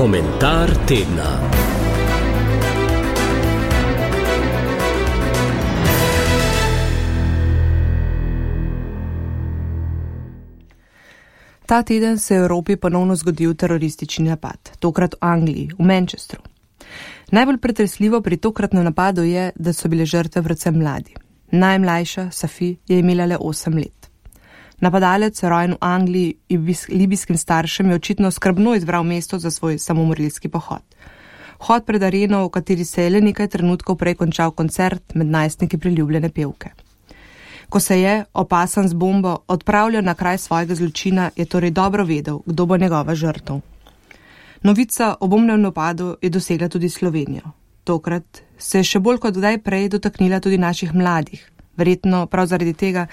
Komentar tedna. Ta teden se je v Evropi ponovno zgodil teroristični napad, tokrat v Angliji, v Manchesteru. Najbolj pretresljivo pri tokratnem napadu je, da so bile žrtve predvsem mladi. Najmlajša, Safi, je imela le 8 let. Napadalec, rojen v Angliji in libijskim staršem, je očitno skrbno izbral mesto za svoj samomorilski pohod. Vhod pred areno, v kateri se je le nekaj trenutkov prej končal koncert med najstniki priljubljene pevke. Ko se je, opasan z bombo, odpravljal na kraj svojega zločina, je torej dobro vedel, kdo bo njegova žrtev. Novica o bombnem napadu je dosegla tudi Slovenijo. Tokrat se je še bolj kot kdaj prej dotaknila tudi naših mladih, verjetno prav zaradi tega,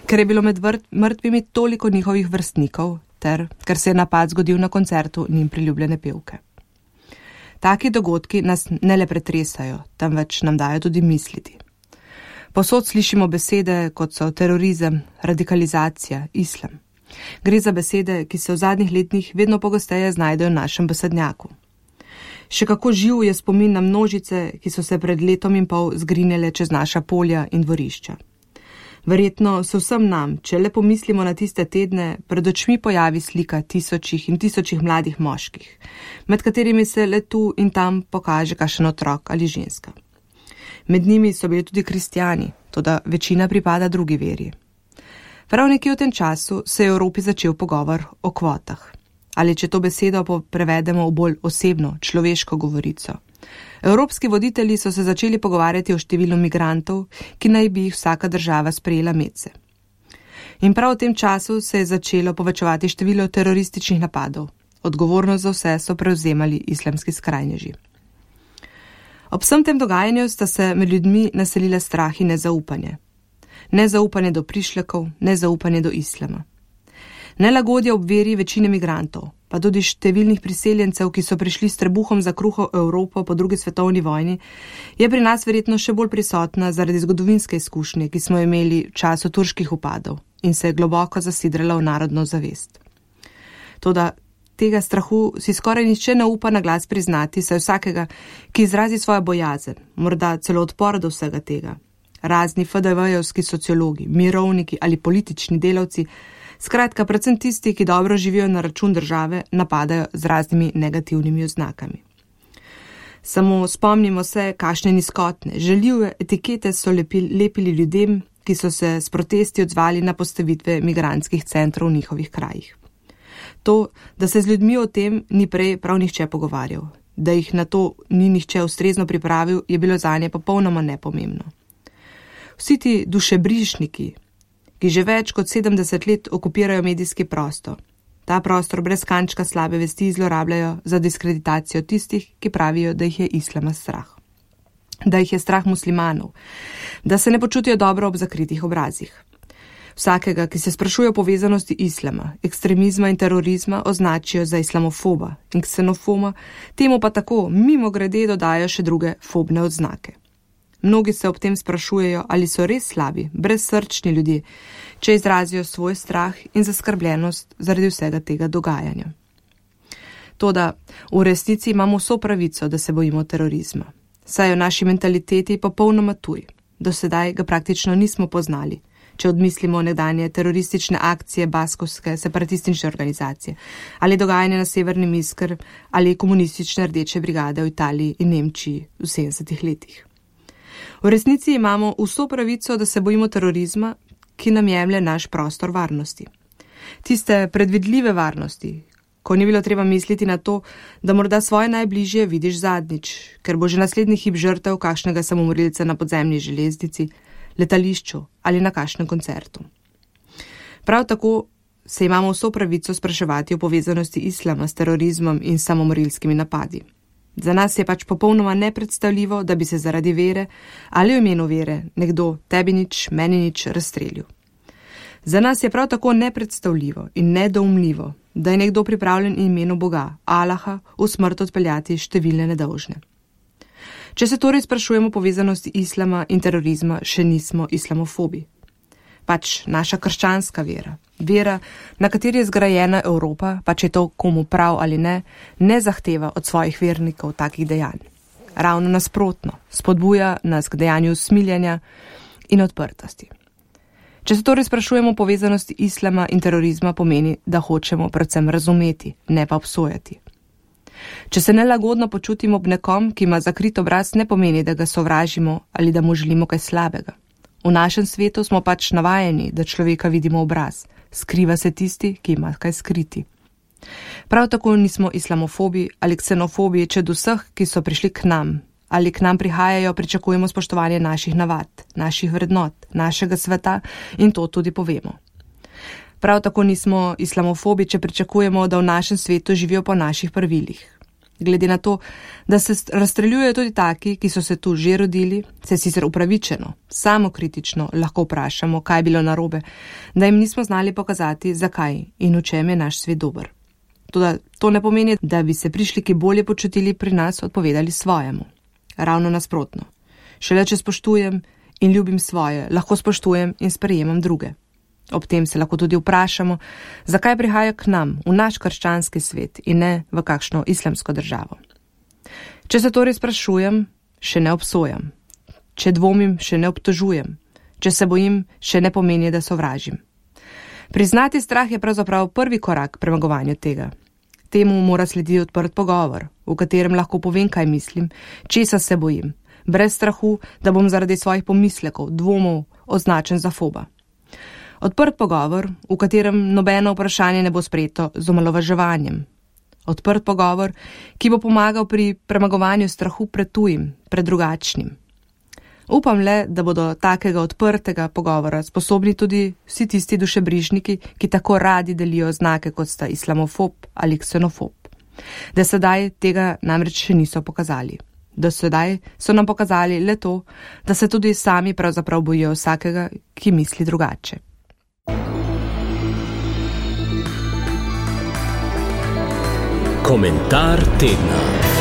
ker je bilo med mrtvimi toliko njihovih vrstnikov, ter ker se je napad zgodil na koncertu njim priljubljene pevke. Taki dogodki nas ne le pretresajo, temveč nam dajo tudi misliti. Povsod slišimo besede, kot so terorizem, radikalizacija, islam. Gre za besede, ki se v zadnjih letih vedno pogosteje znajdejo v našem besednjaku. Še kako živ je spomin na množice, ki so se pred letom in pol zgrinjale čez naša polja in dvorišča. Verjetno se vsem nam, če le pomislimo na tiste tedne, pred očmi pojavi slika tisočih in tisočih mladih moških, med katerimi se le tu in tam pokaže kakšen otrok ali ženska. Med njimi so bili tudi kristjani, toda večina pripada drugi veri. Prav nekje v tem času se je v Evropi začel pogovor o kvotah. Ali če to besedo prevedemo v bolj osebno, človeško govorico. Evropski voditelji so se začeli pogovarjati o številu migrantov, ki naj bi jih vsaka država sprejela medse. In prav v tem času se je začelo povečevati število terorističnih napadov. Odgovornost za vse so prevzemali islamski skrajneži. Ob vsem tem dogajanju sta se med ljudmi naselile strah in nezaupanje. Nezaupanje do prišlekov, nezaupanje do islama. Nelagodje ob veri večine migrantov, pa tudi številnih priseljencev, ki so prišli s trebuhom za kruho v Evropo po drugi svetovni vojni, je pri nas verjetno še bolj prisotna zaradi zgodovinske izkušnje, ki smo imeli v času turških upadov in se je globoko zasidrala v narodno zavest. Toda tega strahu si skoraj nihče ne upa na glas priznati, saj vsakega, ki izrazi svojo bojazen, morda celo odpor do vsega tega. Razni FDV-jevski sociologi, mirovniki ali politični delavci, skratka predvsem tisti, ki dobro živijo na račun države, napadajo z raznimi negativnimi oznakami. Samo spomnimo se, kakšne nizkotne, žaljive etikete so lepili ljudem, ki so se s protesti odzvali na postavitve migrantskih centrov v njihovih krajih. To, da se z ljudmi o tem ni prej prav nihče pogovarjal, da jih na to ni nihče ustrezno pripravil, je bilo zanje popolnoma nepomembno. Vsi ti dušebrižniki, ki že več kot 70 let okupirajo medijski prostor, ta prostor brez kančka slabe vesti zlorabljajo za diskreditacijo tistih, ki pravijo, da jih je islama strah. Da jih je strah muslimanov, da se ne počutijo dobro ob zakritih obrazih. Vsakega, ki se sprašuje o povezanosti islama, ekstremizma in terorizma, označijo za islamofoba in ksenofoba, temu pa tako mimogrede dodajo še druge fobne odznake. Mnogi se ob tem sprašujejo, ali so res slabi, brezsrčni ljudje, če izrazijo svoj strah in zaskrbljenost zaradi vsega tega dogajanja. Toda v resnici imamo vso pravico, da se bojimo terorizma. Saj je v naši mentaliteti popolnoma tuj. Do sedaj ga praktično nismo poznali, če odmislimo nekdanje teroristične akcije baskovske separatistične organizacije ali dogajanje na Severnem Iskr ali komunistične rdeče brigade v Italiji in Nemčiji v 70 letih. V resnici imamo vso pravico, da se bojimo terorizma, ki nam jemlje naš prostor varnosti. Tiste predvidljive varnosti, ko ni bilo treba misliti na to, da morda svoje najbližje vidiš zadnjič, ker bo že naslednji hip žrtev kakšnega samomorilca na podzemni železnici, letališču ali na kakšnem koncertu. Prav tako se imamo vso pravico spraševati o povezanosti islama s terorizmom in samomorilskimi napadi. Za nas je pač popolnoma nepredstavljivo, da bi se zaradi vere ali v imenu vere nekdo tebi nič, meni nič razstrelil. Za nas je prav tako nepredstavljivo in nedoumljivo, da je nekdo pripravljen v imenu Boga, Allaha, v smrt odpeljati številne nedolžne. Če se torej sprašujemo o povezanosti islama in terorizma, še nismo islamofobi. pač naša krščanska vera. Vera, na kateri je zgrajena Evropa, pa če to komu prav ali ne, ne zahteva od svojih vernikov takih dejanj. Ravno nasprotno, spodbuja nas k dejanju usmiljenja in odprtosti. Če se torej sprašujemo o povezanosti islama in terorizma, pomeni, da hočemo predvsem razumeti, ne pa obsojati. Če se nelagodno počutimo ob nekom, ki ima zakrit obraz, ne pomeni, da ga sovražimo ali da mu želimo kaj slabega. V našem svetu smo pač navajeni, da človeka vidimo obraz, skriva se tisti, ki ima kaj skriti. Prav tako nismo islamofobi ali ksenofobi, če od vseh, ki so prišli k nam ali k nam prihajajo, pričakujemo spoštovanje naših navad, naših vrednot, našega sveta in to tudi povemo. Prav tako nismo islamofobi, če pričakujemo, da v našem svetu živijo po naših pravilih. Glede na to, da se razstreljujejo tudi taki, ki so se tu že rodili, se sicer upravičeno, samokritično lahko vprašamo, kaj je bilo narobe, da jim nismo znali pokazati, zakaj in v čem je naš svet dober. Toda to ne pomeni, da bi se prišliki bolje počutili pri nas odpovedali svojemu. Ravno nasprotno. Šele če spoštujem in ljubim svoje, lahko spoštujem in sprejemam druge. Ob tem se lahko tudi vprašamo, zakaj prihaja k nam, v naš krščanski svet in ne v kakšno islamsko državo. Če se torej sprašujem, še ne obsojam. Če dvomim, še ne obtožujem. Če se bojim, še ne pomeni, da sovražim. Priznati strah je pravzaprav prvi korak k premagovanju tega. Temu mora slediti odprt pogovor, v katerem lahko povem, kaj mislim, česa se bojim, brez strahu, da bom zaradi svojih pomislekov, dvomov označen za foba. Odprt pogovor, v katerem nobeno vprašanje ne bo sprejeto z omalovaževanjem. Odprt pogovor, ki bo pomagal pri premagovanju strahu pred tujim, pred drugačnim. Upam le, da bodo takega odprtega pogovora sposobni tudi vsi tisti dušebrižniki, ki tako radi delijo znake, kot sta islamofob ali ksenofob. Da sedaj tega namreč še niso pokazali. Do sedaj so nam pokazali le to, da se tudi sami pravzaprav bojijo vsakega, ki misli drugače. Komentar tedna.